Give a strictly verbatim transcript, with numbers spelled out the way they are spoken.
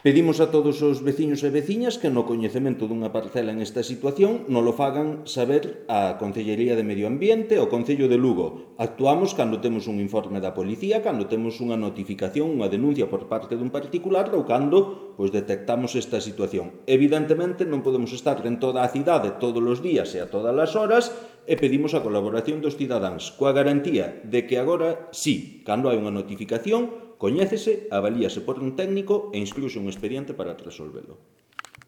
Pedimos a todos os veciños e veciñas que no coñecemento dunha parcela en esta situación non lo fagan saber á Concellería de Medio Ambiente ou Concello de Lugo. Actuamos cando temos un informe da policía, cando temos unha notificación, unha denuncia por parte dun particular ou cando pois, detectamos esta situación. Evidentemente non podemos estar en toda a cidade todos os días e a todas as horas e pedimos a colaboración dos cidadáns coa garantía de que agora sí, cando hai unha notificación, coñécese, avalíase por un técnico e instrúese un expediente para resolvelo.